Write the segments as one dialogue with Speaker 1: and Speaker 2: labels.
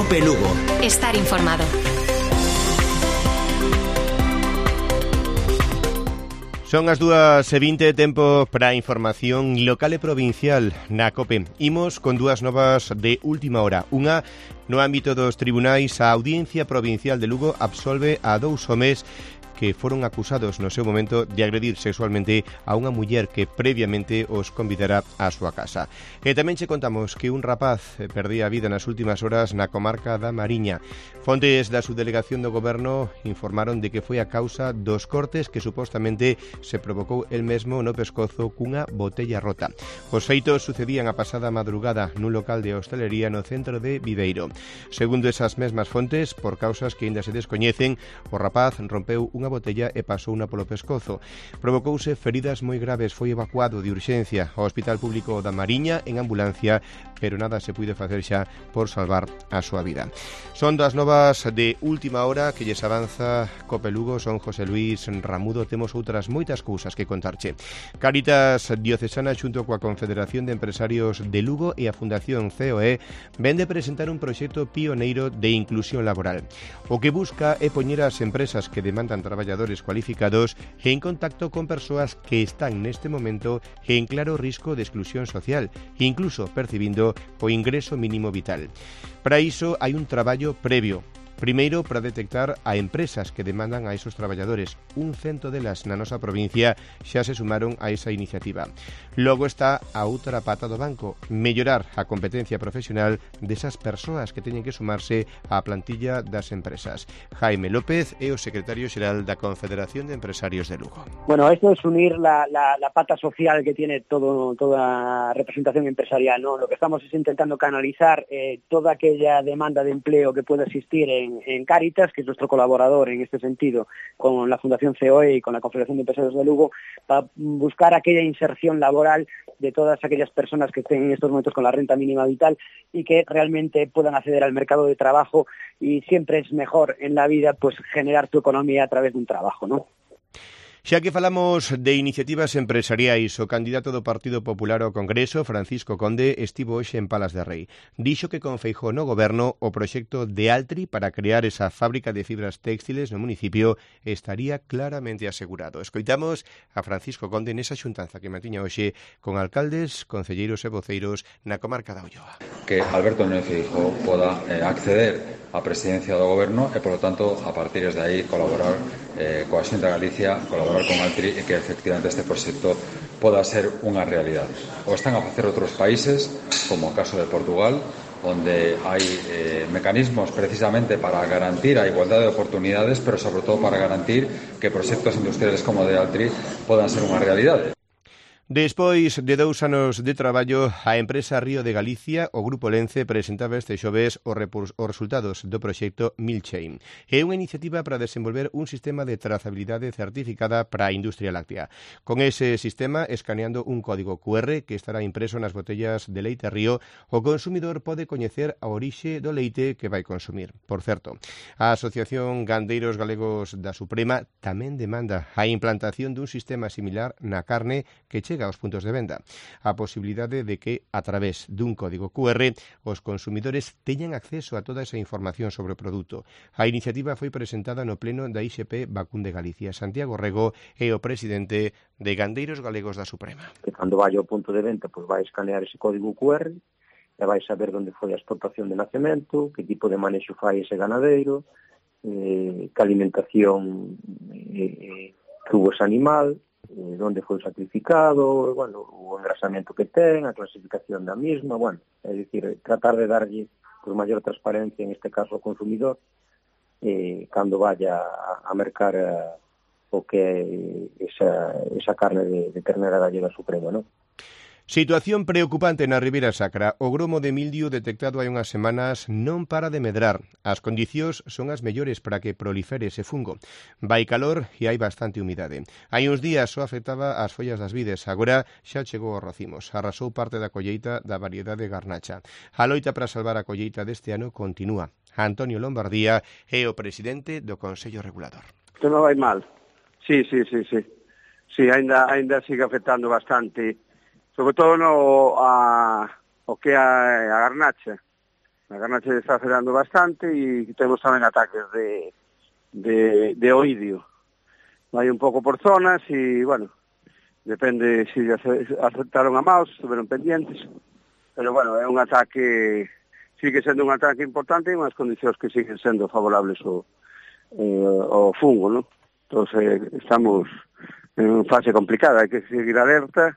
Speaker 1: COPE Lugo.
Speaker 2: Estar informado.
Speaker 3: Son as 2:20, tempo para a información local e provincial na COPE. Imos con dúas novas de última hora. Unha, no ámbito dos tribunais, a Audiencia Provincial de Lugo absolve a 2 homes que foron acusados no seu momento de agredir sexualmente a unha muller que previamente os convidara á súa casa. E tamén che contamos que un rapaz perdía a vida nas últimas horas na comarca da Mariña. Fontes da subdelegación do goberno informaron de que foi a causa dos cortes que supostamente se provocou el mesmo no pescozo cunha botella rota. Os feitos sucedían a pasada madrugada nun local de hostalería no centro de Viveiro. Segundo esas mesmas fontes, por causas que ainda se descoñecen, o rapaz rompeu unha botella e pasou unha polo pescozo. Provocouse feridas moi graves, foi evacuado de urxencia ao Hospital Público da Mariña en ambulancia, pero nada se puido facer xa por salvar a súa vida. Son das novas de última hora que lles avanza COPE Lugo. Son José Luis Ramudo. Temos outras moitas cousas que contarche. Cáritas Diocesana xunto coa Confederación de Empresarios de Lugo e a Fundación COE vende presentar un proxecto pioneiro de inclusión laboral. O que busca é poñer as empresas que demandan traballadores cualificados en contacto con persoas que están neste momento en claro risco de exclusión social, incluso percibindo o ingreso mínimo vital. Para iso hai un traballo previo. Primeiro, para detectar a empresas que demandan a esos traballadores. 100 delas na nosa provincia xa se sumaron a esa iniciativa. Logo está a outra pata do banco, mellorar a competencia profesional desas persoas que teñen que sumarse á plantilla das empresas. Jaime López é o secretario xeral da Confederación de Empresarios de Lugo.
Speaker 4: Bueno, esto es unir la pata social que tiene toda representación empresarial, ¿no? Lo que estamos es intentando canalizar toda aquella demanda de empleo que pueda existir en Cáritas, que es nuestro colaborador en este sentido, con la Fundación COE y con la Confederación de Empresarios de Lugo, para buscar aquella inserción laboral de todas aquellas personas que estén en estos momentos con la renta mínima vital y que realmente puedan acceder al mercado de trabajo, y siempre es mejor en la vida pues generar tu economía a través de un trabajo, ¿no?
Speaker 3: Xa que falamos de iniciativas empresariais, o candidato do Partido Popular ao Congreso, Francisco Conde, estivo hoxe en Palas de Rei. Dixo que con Feijóo no goberno o proxecto de Altri para crear esa fábrica de fibras téxtiles no municipio estaría claramente asegurado. Escoitamos a Francisco Conde nesa xuntanza que mantiña hoxe con alcaldes, concelleiros e voceiros na comarca da Ulloa.
Speaker 5: Que Alberto Núñez Feijóo poda acceder á presidencia do goberno e, polo tanto, a partir de aí colaborar coa Xunta de Galicia, colaborar con Altri e que efectivamente este proxecto poda ser unha realidade. O están a facer outros países, como o caso de Portugal, onde hai mecanismos precisamente para garantir a igualdade de oportunidades, pero sobre todo para garantir que proxectos industriales como o de Altri podan ser unha realidade.
Speaker 3: Despois de 2 anos de traballo, a empresa Río de Galicia, o Grupo Lence, presentaba este xoves os resultados do proxecto Milchain. É unha iniciativa para desenvolver un sistema de trazabilidade certificada para a industria láctea. Con ese sistema, escaneando un código QR que estará impreso nas botellas de leite Río, o consumidor pode coñecer a orixe do leite que vai consumir. Por certo, a Asociación Gandeiros Galegos da Suprema tamén demanda a implantación dun sistema similar na carne que chega aos puntos de venda. A posibilidade de que, a través dun código QR, os consumidores teñan acceso a toda esa información sobre o produto. A iniciativa foi presentada no pleno da IXP Vacún de Galicia. Santiago Rego é o presidente de Gandeiros Galegos da Suprema.
Speaker 6: Que cando vai ao punto de venta, pois vai escanear ese código QR e vai saber onde foi a explotación de nacemento, que tipo de manexo fai ese ganadeiro, que alimentación que hubo ese animal, onde foi sacrificado, bueno, o engrasamento que ten, a clasificación da misma, bueno, é dicir, tratar de darlle por maior transparencia, en este caso ao consumidor, cando vaya a mercar o que é esa carne de ternera gallega suprema, non?
Speaker 3: Situación preocupante na Ribeira Sacra. O gromo de mildio detectado hai unhas semanas non para de medrar. As condicións son as mellores para que prolifere ese fungo. Vai calor e hai bastante humidade. Hai uns días só afectaba as follas das vides. Agora xa chegou aos racimos. Arrasou parte da colleita da variedade garnacha. A loita para salvar a colleita deste ano continúa. Antonio Lombardía é o presidente do Consello Regulador.
Speaker 7: Isto non vai mal. Sí, ainda sigue afectando bastante, sobre todo o que é a garnacha. A garnacha está afectando bastante e temos tamén ataques de oidio. Vai un pouco por zonas e, bueno, depende se aceptaron a maus, estuveron pendientes, pero, bueno, é un ataque, sigue sendo un ataque importante e unhas condicións que siguen sendo favorables ao fungo, non? Entón, estamos en fase complicada, hai que seguir alerta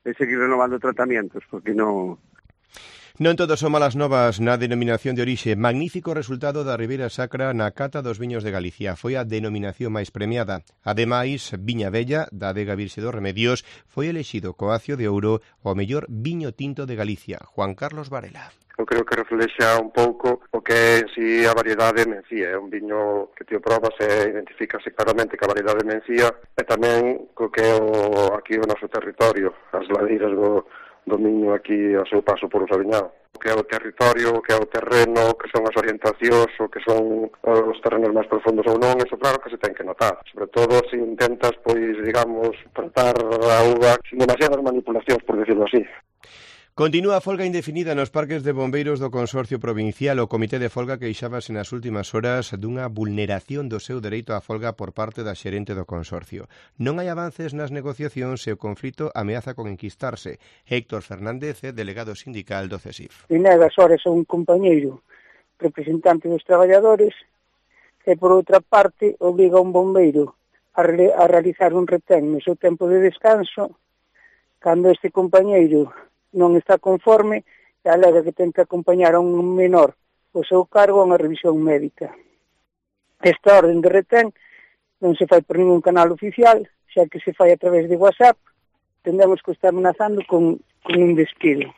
Speaker 7: e seguir renovando tratamientos, porque non...
Speaker 3: Non todo son malas novas na denominación de orixe. Magnífico resultado da Ribeira Sacra na cata dos viños de Galicia. Foi a denominación máis premiada. Ademais, Viña Bella, da Adega Virxe dos Remedios, foi elexido Coacio de Ouro o mellor viño tinto de Galicia. Juan Carlos Varela.
Speaker 1: Eu creo que reflexa un pouco o que é en si a variedade Mencía. É un viño que te probas e identifícase claramente que a variedade Mencía e tamén co que é aquí o noso territorio, as ladeiras do Miño aquí ao seu paso por o Sabiñao. O que é o territorio, o que é o terreno, que son as orientacións, o que son os terrenos máis profundos ou non, eso claro que se ten que notar. Sobre todo se intentas, pois, digamos, tratar a uva sin demasiadas manipulacións, por decirlo así.
Speaker 3: Continúa a folga indefinida nos parques de bombeiros do Consorcio Provincial. O Comité de Folga queixábase nas últimas horas dunha vulneración do seu dereito á folga por parte da xerente do Consorcio. Non hai avances nas negociacións e o conflito ameaza con enquistarse. Héctor Fernández é delegado sindical do CESIF.
Speaker 2: E negas horas a un compañeiro representante dos traballadores e, por outra parte, obriga a un bombeiro a realizar un retén no seu tempo de descanso cando este compañeiro non está conforme e alega que ten que acompañar a un menor o seu cargo a unha revisión médica. Esta orden de retén non se fai por ningún canal oficial, xa que se fai a través de WhatsApp, tendemos que estar amenazando con un despido.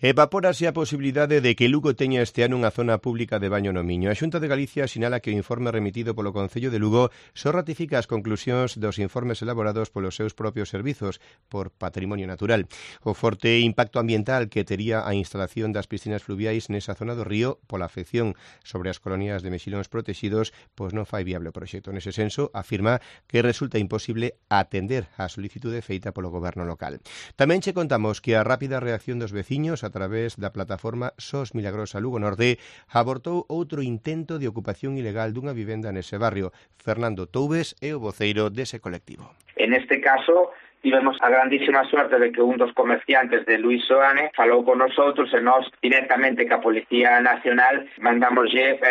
Speaker 3: Evapórase a posibilidade de que Lugo teña este ano unha zona pública de baño no Miño. A Xunta de Galicia sinala que o informe remitido polo Concello de Lugo só ratifica as conclusións dos informes elaborados polos seus propios servizos por Patrimonio Natural. O forte impacto ambiental que tería a instalación das piscinas fluviais nesa zona do río pola afección sobre as colonias de mexilóns protegidos, pois non fai viable o proxecto. Nese senso, afirma que resulta imposible atender a solicitude feita polo goberno local. Tamén che contamos que a rápida reacción dos veciños a través da plataforma SOS Milagrosa Lugo Norte abortou outro intento de ocupación ilegal dunha vivenda nese barrio. Fernando Toubes é o voceiro dese colectivo.
Speaker 8: En este caso, tivemos a grandísima suerte de que un dos comerciantes de Luis Soane falou con nosotros e nós directamente que a Policía Nacional mandamoslle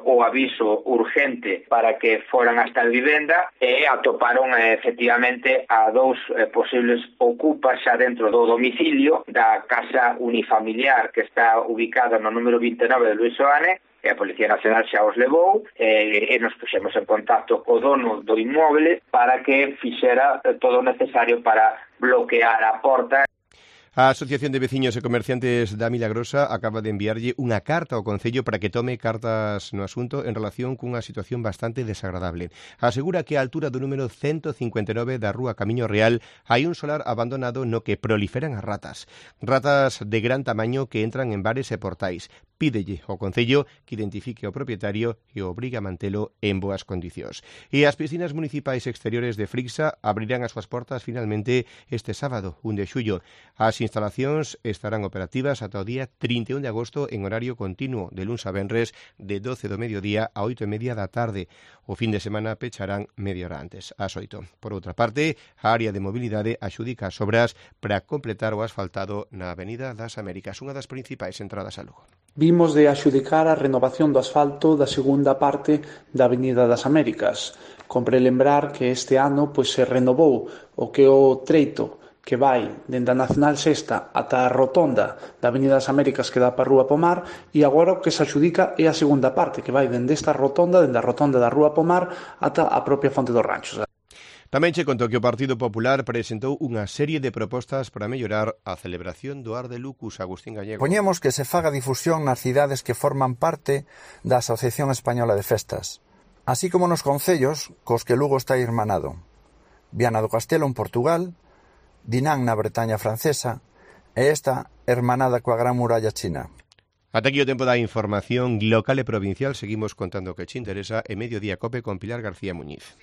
Speaker 8: o aviso urgente para que foran hasta a vivenda e atoparon efectivamente a dous posibles ocupas xa dentro do domicilio da casa unifamiliar que está ubicada no número 29 de Luis Soane. E a Policía Nacional xa os levou e nos puxemos en contacto co dono do inmoble para que fixera todo o necesario para bloquear a porta.
Speaker 3: A Asociación de Veciños e Comerciantes da Milagrosa acaba de enviarlle unha carta ao Concello para que tome cartas no asunto en relación cunha situación bastante desagradable. Asegura que a altura do número 159 da Rúa Camiño Real hai un solar abandonado no que proliferan as ratas. Ratas de gran tamaño que entran en bares e portais. Pídelle ao Concello que identifique o propietario e o obriga a mantelo en boas condicións. E as piscinas municipais exteriores de Frixa abrirán as súas portas finalmente este sábado, 1 de xullo. As instalacións estarán operativas ata o día 31 de agosto en horario continuo, de luns a venres, de 12 do mediodía a 8:30 da tarde. O fin de semana pecharán media hora antes, ás 8. Por outra parte, a área de mobilidade axudica as obras para completar o asfaltado na Avenida das Américas, unha das principais entradas a Lugo.
Speaker 9: Vimos de axudicar a renovación do asfalto da segunda parte da Avenida das Américas. Compre lembrar que este ano se renovou o que o treito que vai dende a Nacional Sexta ata a rotonda da Avenida das Américas que dá para a Rúa Pomar e agora o que se axudica é a segunda parte que vai dende esta rotonda, dende a rotonda da Rúa Pomar ata a propia Fonte dos Ranchos.
Speaker 3: Tamén che contou que o Partido Popular presentou unha serie de propostas para mellorar a celebración do Ar de Lucus. Agustín Gallego.
Speaker 10: Poñemos que se faga difusión nas cidades que forman parte da Asociación Española de Festas, así como nos concellos cos que Lugo está irmanado. Viana do Castelo en Portugal, Dinan na Bretaña francesa e esta hermanada coa Gran Muralla China.
Speaker 3: Ata aquí o tempo da información local e provincial. Seguimos contando o que che interesa en Mediodía Cope con Pilar García Muñiz.